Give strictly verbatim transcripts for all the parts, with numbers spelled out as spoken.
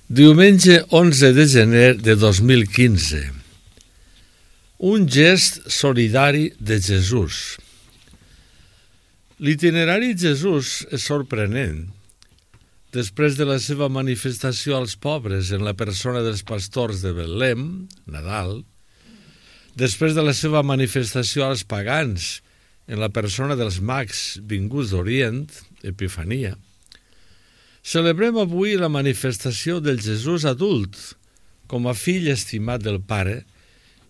Diumenge onze de gener de dos mil quinze. Un gest solidari de Jesús. L'itinerari de Jesús és sorprenent. Després de la seva manifestació als pobres en la persona dels pastors de Betlem, Nadal, després de la seva manifestació als pagans en la persona dels mags vinguts d'Orient, Epifania, celebrem avui la manifestació del Jesús adult, com a fill estimat del Pare,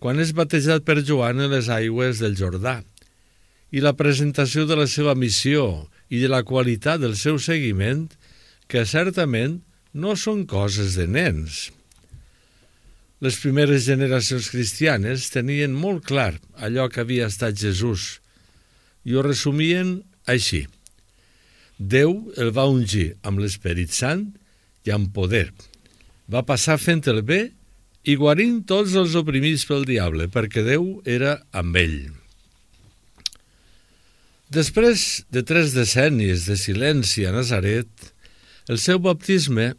quan és batejat per Joan en les aigües del Jordà, i la presentació de la seva missió i de la qualitat del seu seguiment, que certament no són coses de nens. Les primeres generacions cristianes tenien molt clar allò que havia estat Jesús i ho resumien així. Déu el va ungir amb l'Esperit Sant i amb poder. Va passar fent el bé i guarint tots els oprimits pel diable, perquè Déu era amb ell. Després de tres decennis de silenci a Nazaret, el seu baptisme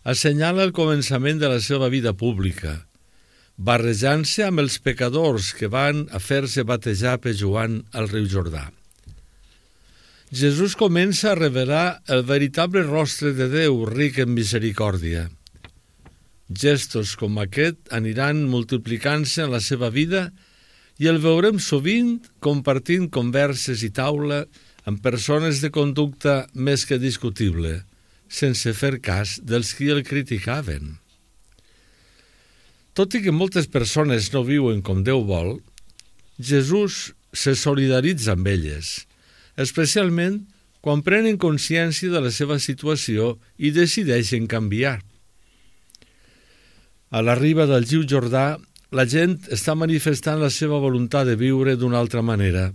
assenyala el començament de la seva vida pública, barrejant-se amb els pecadors que van a fer-se batejar per Joan al riu Jordà. Jesús comença a revelar el veritable rostre de Déu ric en misericòrdia. Gestos com aquest aniran multiplicant-se en la seva vida i el veurem sovint compartint converses i taula amb persones de conducta més que discutible, sense fer cas dels qui el criticaven. Tot i que moltes persones no viuen com Déu vol, Jesús se solidaritza amb elles, especialment quan prenen consciència de la seva situació i decideixen canviar. A la riba del riu Jordà, la gent està manifestant la seva voluntat de viure d'una altra manera,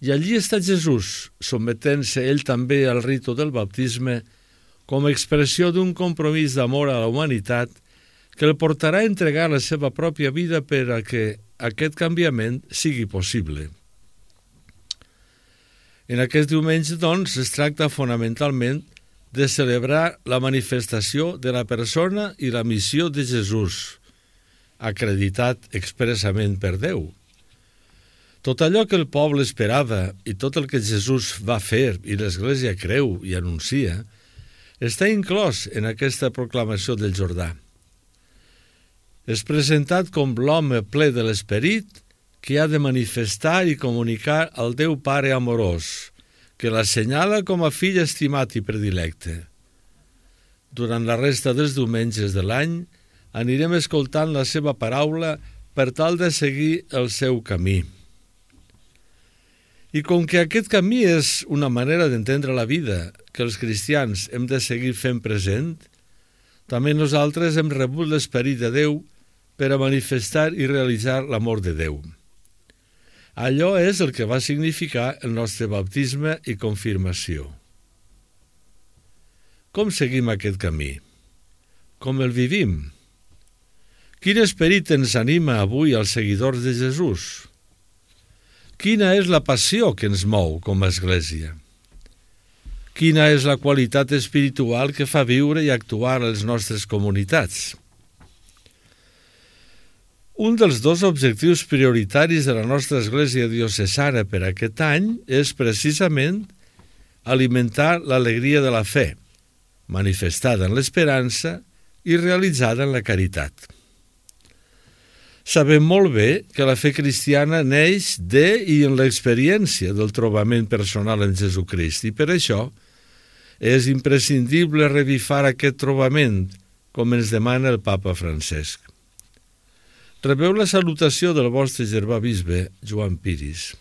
i allí està Jesús, sotmetent-se ell també al ritu del baptisme com a expressió d'un compromís d'amor a la humanitat que el portarà a entregar la seva pròpia vida per a que aquest canviament sigui possible. En aquest diumenge, doncs, es tracta fonamentalment de celebrar la manifestació de la persona i la missió de Jesús, acreditat expressament per Déu. Tot allò que el poble esperava i tot el que Jesús va fer i l'Església creu i anuncia, està inclòs en aquesta proclamació del Jordà. És presentat com l'home ple de l'Esperit que ha de manifestar i comunicar al Déu Pare amorós, que l'assenyala com a fill estimat i predilecte. Durant la resta dels diumenges de l'any anirem escoltant la seva paraula per tal de seguir el seu camí. I com que aquest camí és una manera d'entendre la vida que els cristians hem de seguir fent present, també nosaltres hem rebut l'Esperit de Déu per a manifestar i realitzar l'amor de Déu. Allò és el que va significar el nostre baptisme i confirmació. Com seguim aquest camí? Com el vivim? Quin esperit ens anima avui als seguidors de Jesús? Quina és la passió que ens mou com a Església? Quina és la qualitat espiritual que fa viure i actuar a les nostres comunitats? Un dels dos objectius prioritaris de la nostra Església diocesana per aquest any és precisament alimentar l'alegria de la fe, manifestada en l'esperança i realitzada en la caritat. Sabem molt bé que la fe cristiana neix de i en l'experiència del trobament personal en Jesucrist, i per això és imprescindible revifar aquest trobament, com ens demana el Papa Francesc. Rebeu la salutació del vostre germà bisbe, Joan Piris.